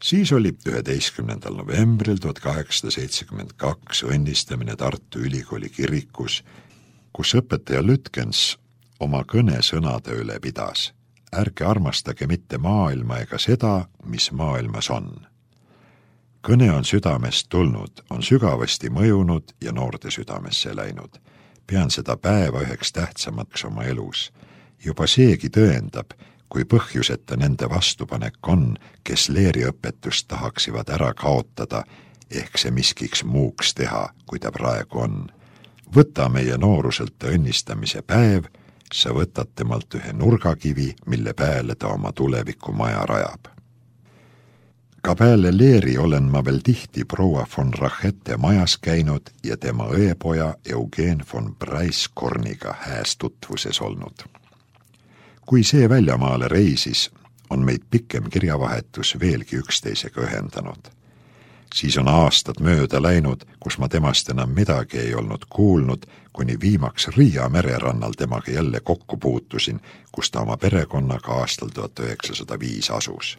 Siis oli 11. novembril 1872 õnnistamine Tartu Ülikooli kirikus, kus õpetaja Lütkens oma kõnesõnade üle pidas: ärge armastage mitte maailma ega seda, mis maailmas on. Kõne on südamest tulnud, on sügavasti mõjunud ja noorte südamesse läinud. Pean seda päeva üheks tähtsamaks oma elus. Juba seegi tõendab, kui põhjuseta nende vastupanek on, kes leeriõpetust tahaksivad ära kaotada, ehk see miskiks muuks teha, kui ta praegu on. Võta meie nooruselt õnnistamise päev, sa võtad temalt ühe nurgakivi, mille pääle ta oma tuleviku maja rajab. Ka peale leeri olen ma veel tihti proua von Rachete majas käinud ja tema õepoja Eugen von Breiskorniga hääs tutvuses olnud. Kui see väljamaale reisis, on meid pikem kirjavahetus veelgi üksteisega ühendanud. Siis on aastad mööda läinud, kus ma temast enam midagi ei olnud kuulnud, kuni viimaks Riia mererannal temaga jälle kokku puutusin, kus ta oma perekonnaga aastal 1905 asus.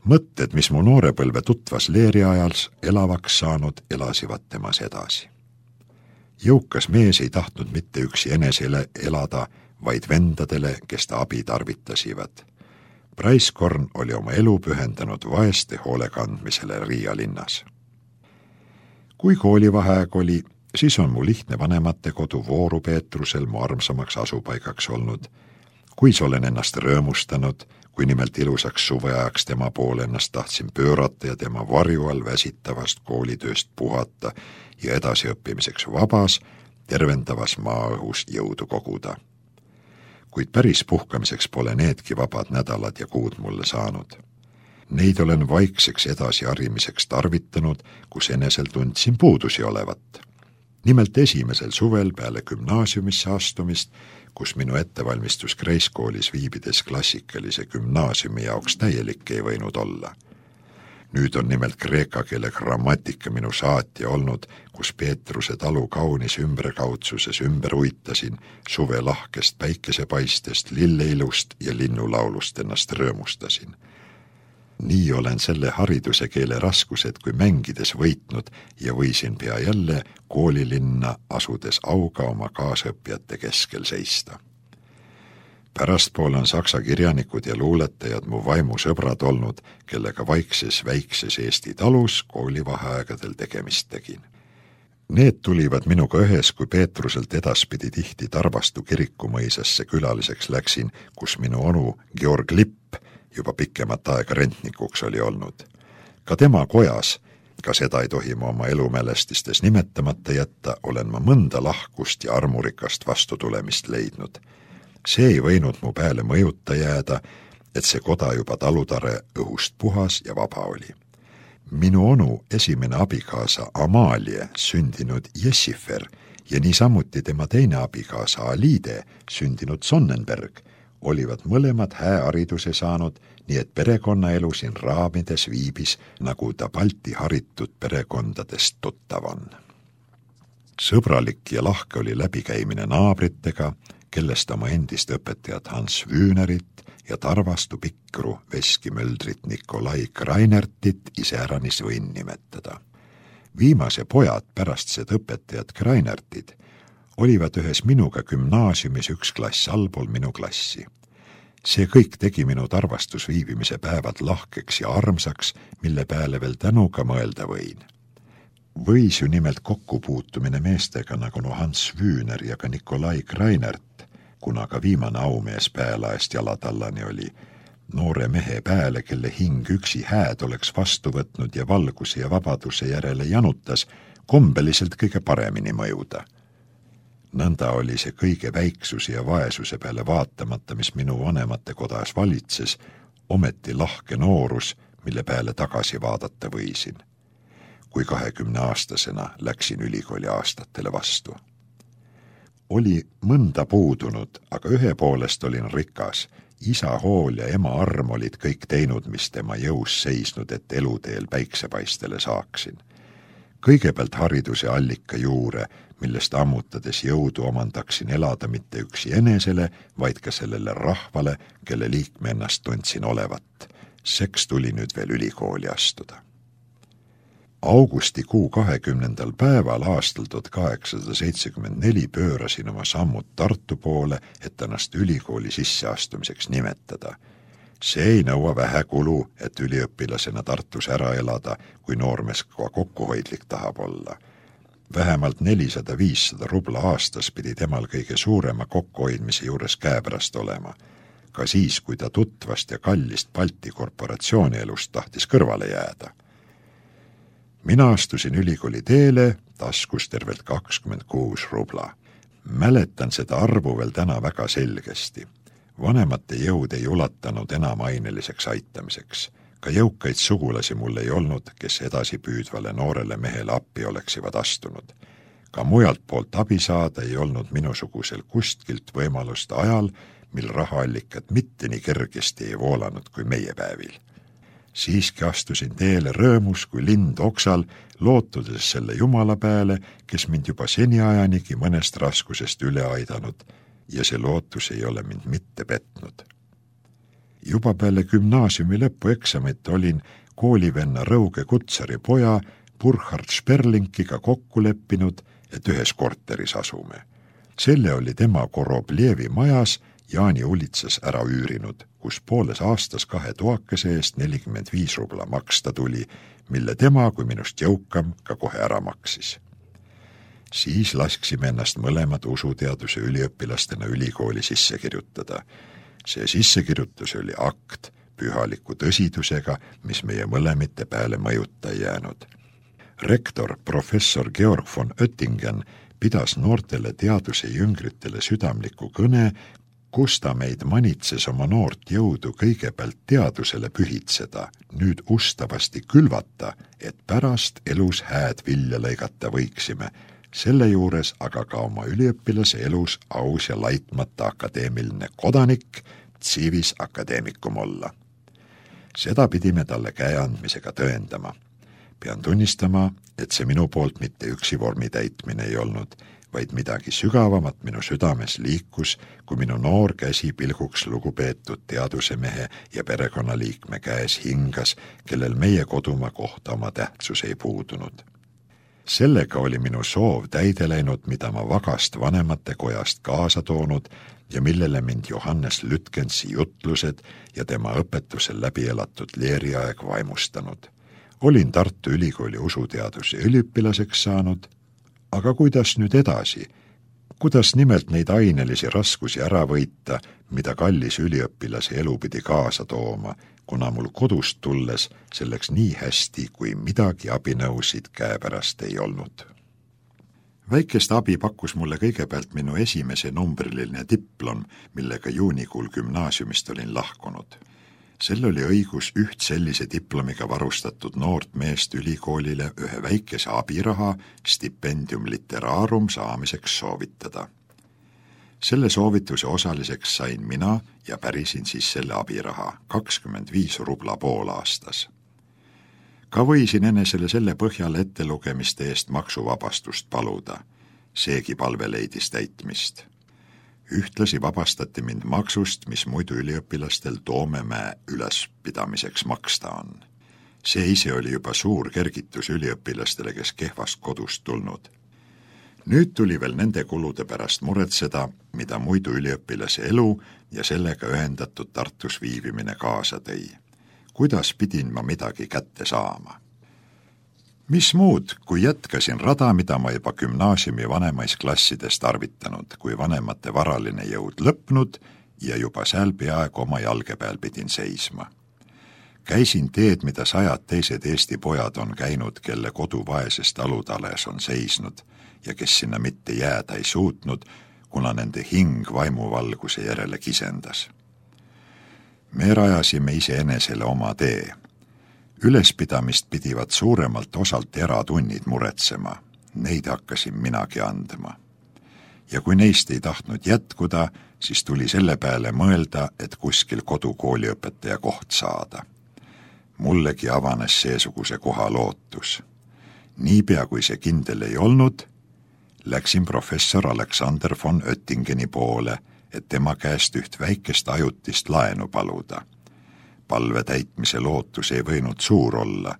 Mõtted, mis mu noorepõlve tutvas leeri ajals elavaks saanud, elasivad temas edasi. Jõukas mees ei tahtnud mitte üksi enesele elada, vaid vendadele, kes ta abi tarvitasivad. Breiskorn oli oma elu pühendanud vaeste hoolekandmisele Riia linnas. Kui koolivaheaeg oli, siis on mu lihtne vanemate kodu Vooru Peetrusel mu armsamaks asupaigaks olnud. Kui olen ennast rõõmustanud, kui nimelt ilusaks suveajaks tema poole ennast tahtsin pöörata ja tema varju all väsitavast koolitööst puhata ja edasiõppimiseks vabas, tervendavas maaõhus jõudu koguda. Kuid päris puhkamiseks pole needki vabad nädalad ja kuud mulle saanud. Neid olen vaikseks edasiharimiseks tarvitanud, kus enesel tundsin puudusi olevat. Nimelt esimesel suvel peale gümnaasiumisse astumist, kus minu ettevalmistus Kreiskoolis viibides klassikalise gümnaasiumi jaoks täielik ei võinud olla. Nüüd on nimelt kreeka keele grammatika minu saatja olnud, kus Peetruse talu kaunis ümberkaudsuses ümber uitasin, suve lahkest päikesepaistest, lilleilust ja linnulaulust ennast rõõmustasin. Nii olen selle hariduse keele raskused kui mängides võitnud ja võisin pea jälle koolilinna asudes auga oma kaasõppijate keskel seista. Pärastpool on saksa kirjanikud ja luuletajad mu vaimusõbrad olnud, kellega vaikses väikses Eesti talus koolivaheaegadel tegemist tegin. Need tulivad minuga ühes, kui Peetruselt edaspidi tihti Tarvastu kirikumõisasse külaliseks läksin, kus minu onu Georg Lipp juba pikemat aega rentnikuks oli olnud. Ka tema kojas, ka seda ei tohi ma oma elumälestistes nimetamata jätta, olen ma mõnda lahkust ja armurikast vastutulemist leidnud. See ei võinud mu peale mõjuta jääda, et see koda juba talutare õhust puhas ja vaba oli. Minu onu esimene abikaasa Amalie, sündinud Jessifer, ja niisamuti tema teine abikaasa Alide, sündinud Sonnenberg, olivad mõlemad häähariduse saanud, nii et perekonnaelu siin raamides viibis, nagu ta Balti haritud perekondadest tuttav on. Sõbralik ja lahke oli läbikäimine naabritega, kellest oma endist õpetajat Hans Wühnerit ja Tarvastu Pikru veskimöldrit Nikolai Krainertit iseäranis võin nimetada. Viimase pojad pärast seda õpetajat Krainertid olivad ühes minuga gümnaasiumis üks klass allpool minu klassi. See kõik tegi minu Tarvastus viibimise päevad lahkeks ja armsaks, mille peale veel tänuga mõelda võin. Võis ju nimelt kokkupuutumine meestega nagu Hans Wühner ja ka Nikolai Krainert, kuna ka viimane aumees päälaest jalatallani oli, noore mehe pääle, kelle hing üksi hääd oleks vastu võtnud ja valguse ja vabaduse järele janutas, kombeliselt kõige paremini mõjuda. Nõnda oli see kõige väiksuse ja vaesuse peale vaatamata, mis minu vanemate kodas valitses, ometi lahke noorus, mille peale tagasi vaadata võisin. Kui 20-aastasena läksin ülikooli aastatele vastu. Oli mõnda puudunud, aga ühe poolest olin rikas. Isa hool ja ema arm olid kõik teinud, mis tema jõus seisnud, et eluteel päiksepaistele saaksin. Kõigepealt hariduse allika juure, millest ammutades jõudu omandaksin elada mitte üksi enesele, vaid ka sellele rahvale, kelle liikme ennast tundsin olevat. Seks tuli nüüd veel ülikooli astuda. Augustikuu 20. päeval aastal 1874 pöörasin oma sammud Tartu poole, et ennast ülikooli sisseastumiseks nimetada. See ei nõua vähe kulu, et üliõpilasena Tartus ära elada, kui noormees ka kokkuhoidlik tahab olla. Vähemalt 400-500 rubla aastas pidi temal kõige suurema kokkuhoidmise juures käepärast olema. Ka siis, kui ta tutvast ja kallist Balti korporatsiooni elust tahtis kõrvale jääda. Mina astusin ülikooli teele, taskus tervelt 26 rubla. Mäletan seda arvu veel täna väga selgesti. Vanemate jõud ei ulatanud enam aineliseks aitamiseks. Ka jõukaid sugulasi mul ei olnud, kes edasi püüdvale noorele mehele appi oleksivad astunud. Ka mujalt poolt abi saada ei olnud minusugusel kustkilt võimalust ajal, mil rahaallikat mitte nii kergesti ei voolanud kui meie päevil. Siiski astusin teele rõõmus kui lind oksal, lootudes selle Jumala peale, kes mind juba seniajanigi mõnest raskusest üle aidanud, ja see lootus ei ole mind mitte petnud. Juba peale gümnaasiumi lõpueksamit olin koolivenna Rõuge Kutsari poja Burkhard Sperlinkiga kokku leppinud, et ühes korteris asume. Selle oli tema Korobljevi majas Jaani ulitsas ära üürinud, kus pooles aastas 2 toakese eest 45 rubla maksta tuli, mille tema kui minust jõukam ka kohe ära maksis. Siis lasksime ennast mõlemad usuteaduse üliõpilastena ülikooli sisse kirjutada. See sissekirjutus oli akt pühaliku tõsidusega, mis meie mõlemite peale mõjuta ei jäänud. Rektor professor Georg von Oettingen pidas noortele teaduse jüngritele südamliku kõne, kus ta meid manitses oma noort jõudu kõigepealt teadusele pühitseda, nüüd ustavasti külvata, et pärast elus hääd vilja lõigata võiksime, selle juures aga ka oma üliõpilase elus aus ja laitmata akadeemiline kodanik, civis academicum olla. Seda pidime talle käe andmisega tõendama. Pean tunnistama, et see minu poolt mitte üksi vormi täitmine ei olnud, vaid midagi sügavamat minu südames liikus, kui minu noor käsi pilguks lugupeetud teadusemehe ja perekonnaliikme käes hingas, kellel meie kodumaa kohta oma tähtsus ei puudunud. Sellega oli minu soov täide läinud, mida ma vagast vanemate kojast kaasa toonud ja millele mind Johannes Lütkensi jutlused ja tema õpetusel läbi elatud leeriaeg vaimustanud. Olin Tartu Ülikooli usuteaduse üliõpilaseks saanud, aga kuidas nüüd edasi? Kuidas nimelt neid ainelisi raskusi ära võita, mida kallis üliõpilase elu pidi kaasa tooma, kuna mul kodust tulles selleks nii hästi, kui midagi abinõusid käepärast ei olnud. Väikest abi pakkus mulle kõigepealt minu esimese numbriline diplom, millega juunikuul gümnaasiumist olin lahkunud. Sel oli õigus üht sellise diplomiga varustatud noort meest ülikoolile ühe väikese abiraha stipendium literarum saamiseks soovitada. Selle soovituse osaliseks sain mina ja pärisin siis selle abiraha 25 rubla poolaastas. Ka võisin enesele selle põhjal ettelugemiste eest maksuvabastust paluda. Seegi palve leidis täitmist. Ühtlasi vabastati mind maksust, mis muidu üliõpilastel Toomemäe ülespidamiseks maksta on. See ise oli juba suur kergitus üliõpilastele, kes kehvast kodust tulnud. Nüüd tuli veel nende kulude pärast muretseda, mida muidu üliõpilase elu ja sellega ühendatud Tartus viibimine kaasa tõi. Kuidas pidin ma midagi kätte saama? Mis muud, kui jätkasin rada, mida ma juba gümnaasiumi vanemais klassides tarvitanud, kui vanemate varaline jõud lõpnud ja juba seal peaaegu oma jalge peal pidin seisma. Käisin teed, mida 100 teised Eesti pojad on käinud, kelle kodu vaesest alutales on seisnud ja kes sinna mitte jääda ei suutnud, kuna nende hing vaimuvalguse järele kisendas. Me rajasime iseenesele oma tee. Ülespidamist pidivad suuremalt osalt eratunnid muretsema, neid hakkasin minagi andma. Ja kui neist ei tahtnud jätkuda, siis tuli selle peale mõelda, et kuskil kodukooliõpetaja koht saada. Mullegi avanes seesuguse koha lootus. Niipea kui see kindel ei olnud, läksin professor Alexander von Oettingeni poole, et tema käest üht väikest ajutist laenu paluda. palve täitmise lootus ei võinud suur olla,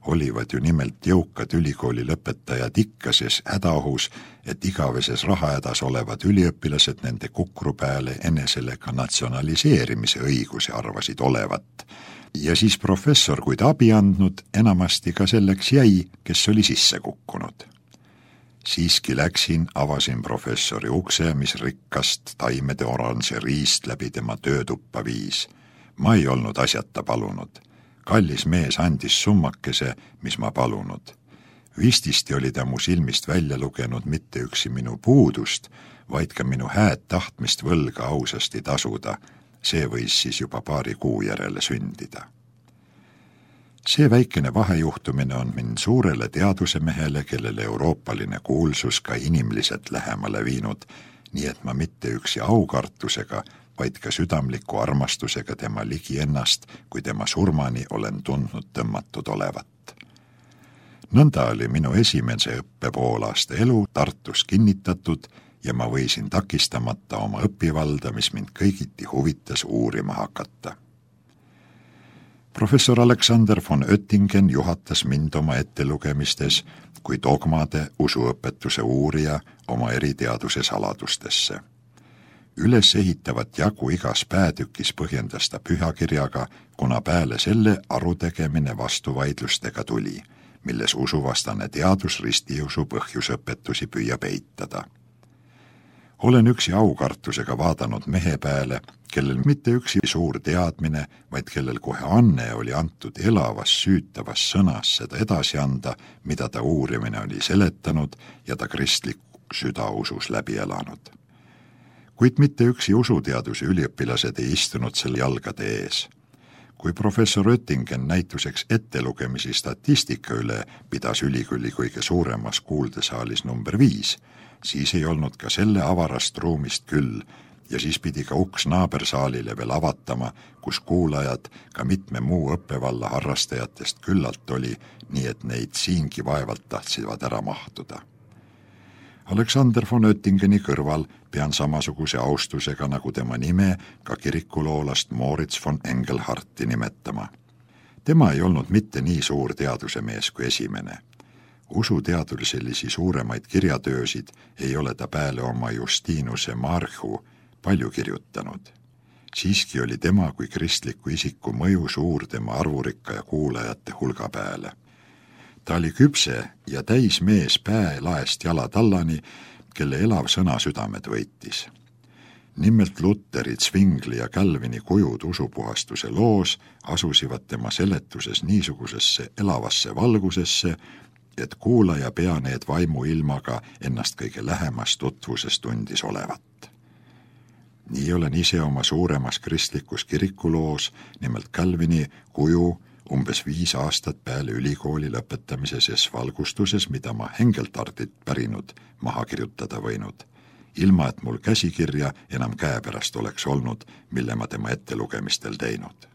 olivad ju nimelt jõukad ülikooli lõpetajad ikka ses hädaohus, et igaveses rahahädas olevad üliõpilased nende kukru peale enesele ka natsionaliseerimise õiguse arvasid olevat. Ja siis professor, kui ta abi andnud, enamasti ka selleks jäi, kes oli sisse kukkunud. Siiski läksin, avasin professori ukse, mis rikkast taimede oranžeriist läbi tema töötuppa viis. Ma ei olnud asjata palunud. Kallis mees andis summakese, mis ma palunud. Vististi oli ta mu silmist välja lugenud mitte üksi minu puudust, vaid ka minu hääd tahtmist võlga ausasti tasuda. See võis siis juba paari kuu järele sündida. See väikene vahejuhtumine on mind suurele teadusemehele, kellele euroopaline kuulsus ka inimliselt lähemale viinud, nii et ma mitte üksi aukartusega, vaid ka südamliku armastusega tema ligi ennast, kui tema surmani olen tundnud tõmmatud olevat. Nõnda oli minu esimese õppepoolaasta elu Tartus kinnitatud ja ma võisin takistamata oma õpivalda, mis mind kõigiti huvitas uurima hakata. Professor Alexander von Oettingen juhatas mind oma ettelugemistes kui dogmade usuõpetuse uurija oma eriteaduse saladustesse. Üles ehitavat jagu igas päätükis põhjendas ta pühakirjaga, kuna peale selle arutegemine vastuvaidlustega tuli, milles usuvastane teadus ristiusu põhjusõpetusi püüab eitada. Olen üksi aukartusega vaadanud mehe peale, kellel mitte üksi suur teadmine, vaid kellel kohe anne oli antud elavas süütavas sõnas seda edasi anda, mida ta uurimine oli seletanud ja ta kristliku südausus läbi elanud. Kuid mitte üksi usuteaduse üliõpilased ei istunud selle jalgade ees. Kui professor Oettingen näituseks ettelugemisi statistika üle pidas ülikooli kõige suuremas kuuldesaalis number 5, siis ei olnud ka selle avarast ruumist küll ja siis pidi ka uks naabersaalile veel avatama, kus kuulajad ka mitme muu õppevalla harrastajatest küllalt oli, nii et neid siingi vaevalt tahtsid ära mahtuda. Alexander von Oettingeni kõrval pean samasuguse austusega nagu tema nime ka kirikuloolast Moritz von Engelhardti nimetama. Tema ei olnud mitte nii suur teadusemees kui esimene. Usuteaduriselisi suuremaid kirjatöösid ei ole ta peale oma Justinuse Marchu palju kirjutanud. Siiski oli tema kui kristliku isiku mõju suur tema arvurikka ja kuulajate hulga peale. Ta oli küpse ja täis mees päälaest jalatallani, kelle elav sõna südamed võitis. Nimelt Luteri, Zwingli ja Calvini kujud usupuhastuse loos asusivad tema seletuses niisugusesse elavasse valgusesse, et kuulaja pea need vaimuilmaga ennast kõige lähemas tutvuses tundis olevat. Nii olen ise oma suuremas kristlikus kirikuloos, nimelt Calvini kuju, umbes 5 aastat peale ülikooli lõpetamise ses valgustuses, mida ma Engelhardilt pärinud maha kirjutada võinud, ilma et mul käsikirja enam käepärast oleks olnud, mille ma tema ettelugemistel teinud.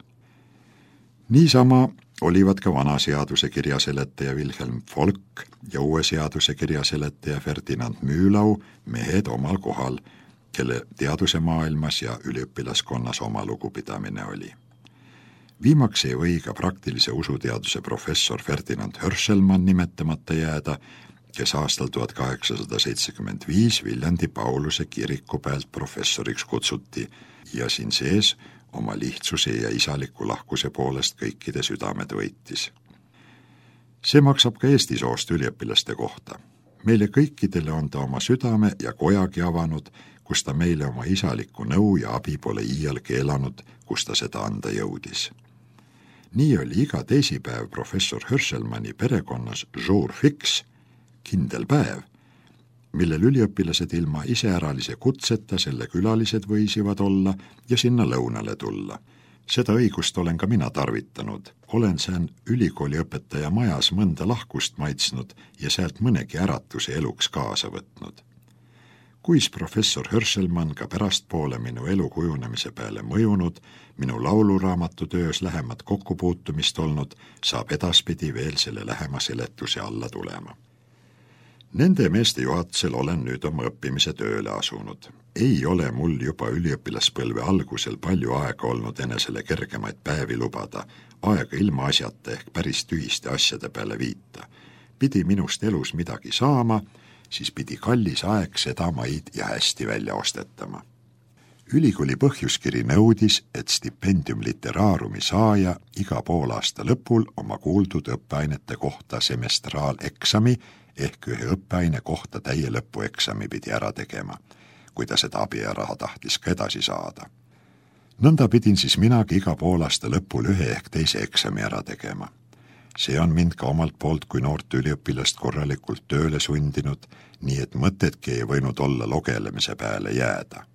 Niisama olivad ka vana seaduse kirjaseletaja Wilhelm Volk ja uue seaduse kirjaseletaja Ferdinand Mühlau mehed omal kohal, kelle teadusemaailmas ja üliõpilaskonnas oma lugupidamine oli. Viimaks ei või ka praktilise usuteaduse professor Ferdinand Hörselmann nimetamata jääda, kes aastal 1875 Viljandi Pauluse kiriku pealt professoriks kutsuti ja siin sees oma lihtsuse ja isaliku lahkuse poolest kõikide südamed võitis. See maksab ka Eesti soost üliõpilaste kohta. Meile kõikidele on ta oma südame ja kojagi avanud, kus ta meile oma isaliku nõu ja abi pole iial keelanud, kus ta seda anda jõudis. Nii oli iga teisipäev professor Hörselmanni perekonnas jour fix, kindel päev, millel üliõpilased ilma iseäralise kutseta selle külalised võisivad olla ja sinna lõunale tulla. Seda õigust olen ka mina tarvitanud. Olen sään ülikooliõpetaja majas mõnda lahkust maitsnud ja sealt mõnegi äratuse eluks kaasa võtnud. Kuis professor Hörselmann ka pärastpoole minu elu kujunemise peale mõjunud, minu lauluraamatu töös lähemat kokkupuutumist olnud, saab edaspidi veel selle lähema seletuse alla tulema. Nende meeste juhatusel olen nüüd oma õppimise tööle asunud. ei ole mul juba üliõpilaspõlve algusel palju aega olnud enesele kergemaid päevi lubada, aega ilma asjata ehk päris tühiste asjade peale viita. Pidi minust elus midagi saama, siis pidi kallis aeg seda maid ja hästi välja ostetama. Ülikooli põhjuskiri nõudis, et stipendium literaarumi saaja iga poolaasta lõpul oma kuuldud õppeainete kohta semestraaleksami ehk ühe õppeaine kohta täie lõpueksami pidi ära tegema, kui ta seda abiraha tahtis ka edasi saada. Nõnda pidin siis minagi iga poolaasta lõpul ühe ehk teise eksami ära tegema. See on mind ka omalt poolt kui noort üliõpilast korralikult tööle sundinud, nii et mõtetki ei võinud olla logelemise peale jääda.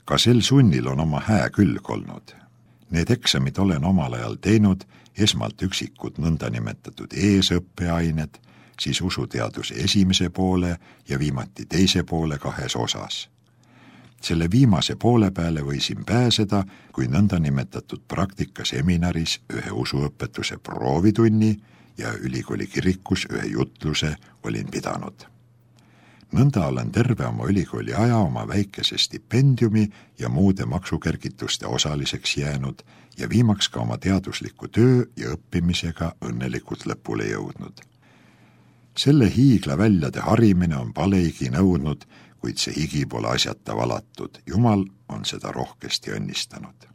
Ka sel sunnil on oma hää külg olnud. Need eksamid olen omal ajal teinud, esmalt üksikud nõndanimetatud eesõppeained, siis usuteaduse esimese poole ja viimati teise poole 2 osas. Selle viimase poole peale võisin pääseda, kui nõndanimetatud praktikaseminaris ühe usuõpetuse proovitunni ja ülikooli kirikus ühe jutluse olin pidanud. Nõnda olen terve oma ülikooli aja oma väikese stipendiumi ja muude maksukergituste osaliseks jäänud ja viimaks ka oma teadusliku töö ja õppimisega õnnelikult lõpule jõudnud. Selle hiigla väljade harimine on paleigi nõudnud, kuid see higi pole asjata valatud. Jumal on seda rohkesti õnnistanud.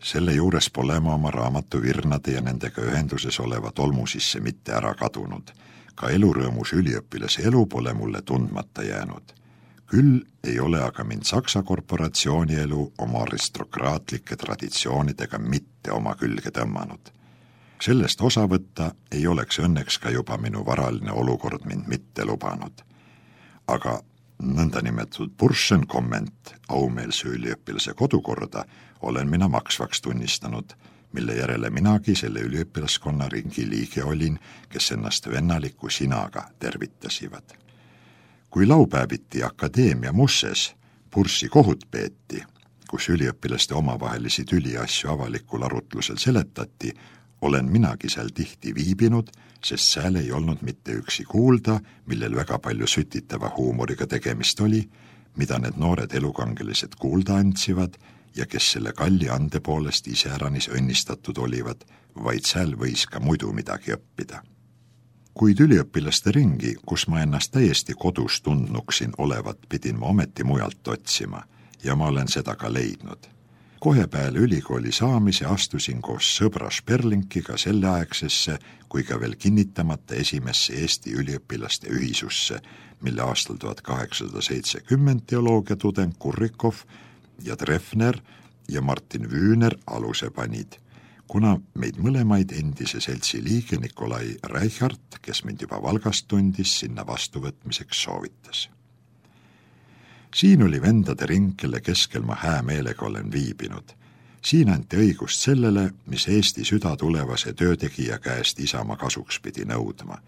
Selle juures pole ma oma raamatu virnade ja nendega ühenduses oleva tolmu sisse mitte ära kadunud. Ka elurõõmus üliõpilase elu pole mulle tundmata jäänud. Küll ei ole aga mind Saksa korporatsiooni elu oma aristokraatlike traditsioonidega mitte oma külge tõmmanud. Sellest osa võtta ei oleks õnneks ka juba minu varaline olukord mind mitte lubanud. Aga nõndanimetatud Burschenkomment aumeelse üliõpilase kodukorda olen mina maksvaks tunnistanud, mille järele minagi selle üliõpilaskonna ringi liige olin, kes ennast vennaliku sinaga tervitasivad. Kui laupäeviti akadeemia musses Burssi kohut peeti, kus üliõpilaste omavahelisi tüliasju avalikul arutlusel seletati, olen minagi seal tihti viibinud, sest seal ei olnud mitte üksi kuulda, millel väga palju sütitava huumoriga tegemist oli, mida need noored elukangelised kuulda antsivad ja kes selle kalli ande poolest iseäranis õnnistatud olivad, vaid seal võis ka muidu midagi õppida. Kuid üliõpilaste ringi, kus ma ennast täiesti kodus tundnuksin olevat, pidin ma ometi mujalt otsima ja ma olen seda ka leidnud. Kohe peale ülikooli saamise astusin koos sõbra Sperlinkiga selleaegsesse kui ka veel kinnitamata esimesse Eesti üliõpilaste ühisusse, mille aastal 1870 teoloogiatudeng Kurrikov ja Treffner ja Martin Wühner aluse panid, kuna meid mõlemaid endise seltsi liige Nikolai Reichart, kes mind juba Valgast tundis, sinna vastuvõtmiseks soovitas. Siin oli vendade ring, kelle keskel ma hää meelega olen viibinud. Siin anti õigust sellele, mis Eesti süda tulevase töötegija käest isamaa kasuks pidi nõudma.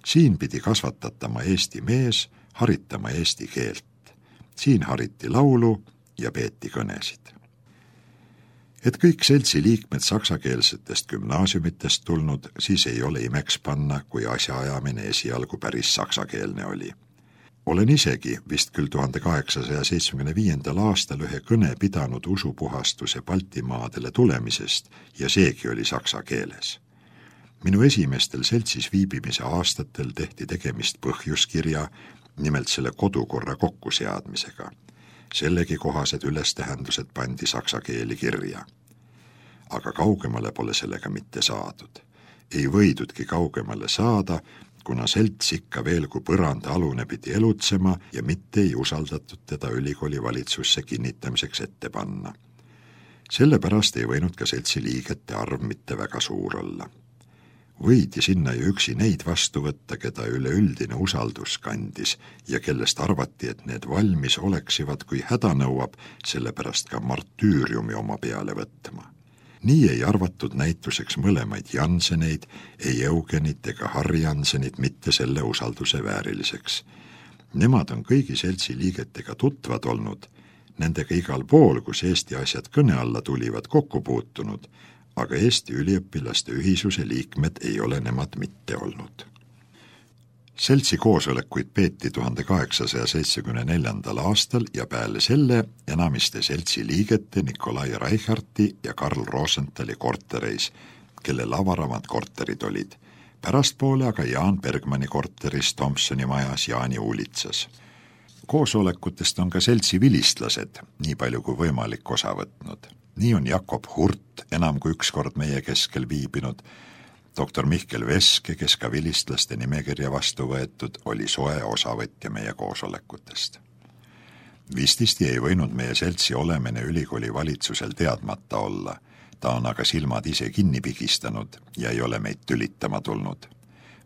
Siin pidi kasvatatama Eesti mees, haritama eesti keelt. Siin hariti laulu ja peeti kõnesid. Et kõik seltsi liikmed saksakeelsetest gümnaasiumitest tulnud, siis ei ole imeks panna, kui asjaajamine esialgu päris saksakeelne oli. Olen isegi vist küll 1875. aastal ühe kõne pidanud usupuhastuse Baltimaadele tulemisest ja seegi oli saksa keeles. Minu esimestel seltsis viibimise aastatel tehti tegemist põhjuskirja, nimelt selle kodukorra kokkuseadmisega. Sellegi kohased ülestähendused pandi saksa keeli kirja. Aga kaugemale pole sellega mitte saadud. Ei võidudki kaugemale saada, kuna selts ikka veel kui põranda alune pidi elutsema ja mitte ei usaldatud teda ülikooli valitsusse kinnitamiseks ette panna. Sellepärast ei võinud ka seltsi liigete arv mitte väga suur olla. Võidi sinna ju üksi neid vastu võtta, keda üleüldine usaldus kandis ja kellest arvati, et need valmis oleksivad, kui häda nõuab, sellepärast ka martüüriumi oma peale võtma. Nii ei arvatud näituseks mõlemaid Janseneid, ei Eugenit ega Harri Jansenit mitte selle usalduse vääriliseks. Nemad on kõigi seltsi liigetega tutvad olnud, nendega igal pool, kus Eesti asjad kõne alla tulivad, kokku puutunud, aga Eesti üliõpilaste ühisuse liikmed ei ole nemad mitte olnud. Seltsi koosolekuid peeti 1874. aastal ja peale selle enamiste seltsi liigete Nikolai Reicharti ja Karl Rosenthali kortereis, kelle avaramad korterid olid. Pärastpoole aga Jaan Bergmanni korteris Thompsoni majas Jaani uulitsas. Koosolekutest on ka seltsi vilistlased nii palju kui võimalik osa võtnud. Nii on Jakob Hurt enam kui üks kord meie keskel viibinud. Doktor Mihkel Veske, kes ka vilistlaste nimekirja vastu võetud, oli soe osavõtja meie koosolekutest. Vististi ei võinud meie seltsi olemine ülikooli valitsusel teadmata olla. Ta on aga silmad ise kinni pigistanud ja ei ole meid tülitama tulnud.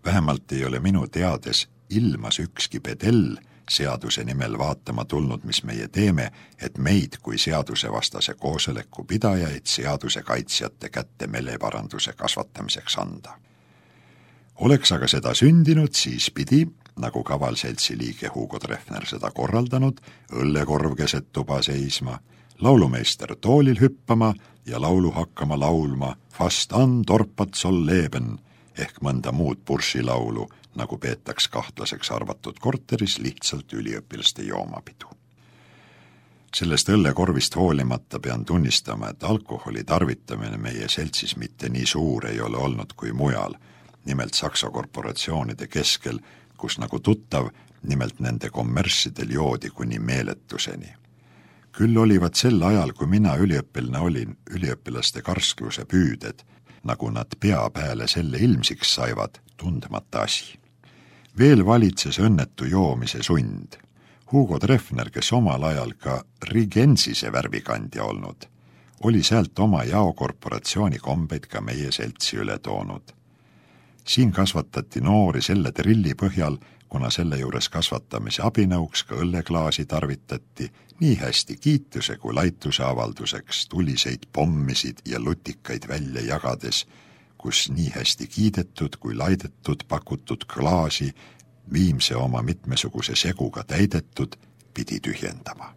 Vähemalt ei ole minu teades ilmas ükski pedell seaduse nimel vaatama tulnud, mis meie teeme, et meid kui seadusevastase koosoleku pidajaid seaduse kaitsjate kätte meleparanduse kasvatamiseks anda. Oleks aga seda sündinud, siis pidi, nagu kavalseltsi liige Hugo Treffner seda korraldanud, õllekorv keset tuba seisma, laulumeister toolil hüppama ja laulu hakkama laulma Fast an torpat soll leben ehk mõnda muud buršilaulu, nagu peetaks kahtlaseks arvatud korteris lihtsalt üliõpilaste joomapidu. Sellest õllekorvist hoolimata pean tunnistama, et alkoholi tarvitamine meie seltsis mitte nii suur ei ole olnud kui mujal, nimelt Saksa korporatsioonide keskel, kus nagu tuttav, nimelt nende kommerssidel joodi kuni meeletuseni. Küll olivad sel ajal, kui mina üliõpilane olin, üliõpilaste karskuse püüded, nagu nad pea peale selle ilmsiks saivad, tundmata asi. Veel valitses õnnetu joomise sund. Hugo Treffner, kes omal ajal ka Rigensise värvikandja olnud, oli sealt oma jaokorporatsiooni kombeid ka meie seltsi üle toonud. Siin kasvatati noori selle trilli põhjal, kuna selle juures kasvatamise abinõuks ka õlleklaasi tarvitati, nii hästi kiituse kui laituse avalduseks tuliseid pommisid ja lutikaid välja jagades, kus nii hästi kiidetud kui laidetud pakutud klaasi viimse oma mitmesuguse seguga täidetud pidi tühjendama.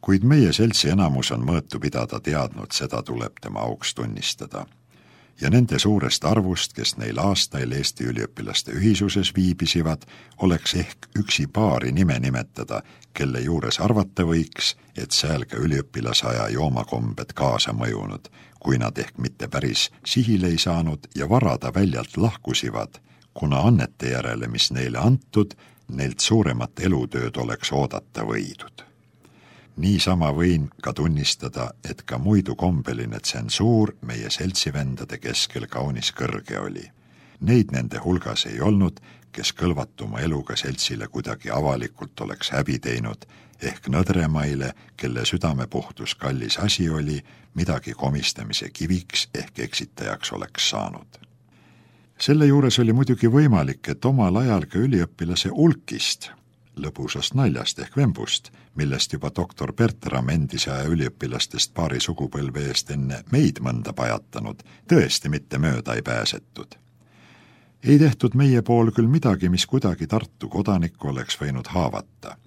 Kuid meie seltsi enamus on mõõtu pidada teadnud, seda tuleb tema auks tunnistada. Ja nende suurest arvust, kes neil aastail Eesti üliõpilaste ühisuses viibisivad, oleks ehk üksi paari nime nimetada, kelle juures arvata võiks, et seal ka üliõpilasaja joomakombed kaasa mõjunud, kui nad ehk mitte päris sihile ei saanud ja varada väljalt lahkusivad, kuna annete järele, mis neile antud, neilt suuremat elutööd oleks oodata võidud. Niisama võin ka tunnistada, et ka muidu kombeline tsensuur meie seltsivendade keskel kaunis kõrge oli. Neid nende hulgas ei olnud, kes kõlvatuma eluga seltsile kuidagi avalikult oleks häbi teinud, ehk nõdremaile, kelle südamepuhtus kallis asi oli, midagi komistamise kiviks ehk eksitajaks oleks saanud. Selle juures oli muidugi võimalik, et omal ajal ka üliõpilase ulkist, lõbusast naljast ehk vembust, millest juba doktor Bertram endise aja üliõpilastest paari sugupõlve eest enne meid mõnda pajatanud, tõesti mitte mööda ei pääsetud. Ei tehtud meie pool küll midagi, mis kuidagi Tartu kodanikku oleks võinud haavata.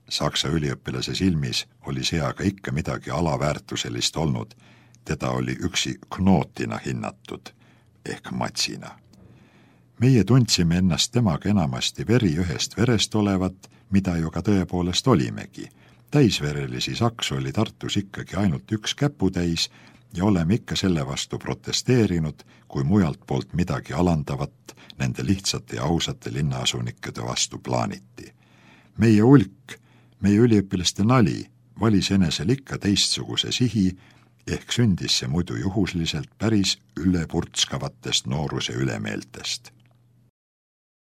Saksa üliõpilase silmis oli see aga ikka midagi alaväärtuselist olnud, teda oli üksi knootina hinnatud ehk matsina. Meie tundsime ennast temaga enamasti veri ühest verest olevat, mida ju ka tõepoolest olimegi. Täisverelisi saksu oli Tartus ikkagi ainult üks käputäis ja oleme ikka selle vastu protesteerinud, kui mujalt poolt midagi alandavat nende lihtsate ja ausate linnaasunikede vastu plaaniti. Meie ulk, meie üliõpilaste nali valis enesel ikka teistsuguse sihi, ehk sündis see muidu juhusliselt päris ülepurtskavatest nooruse ülemeeltest.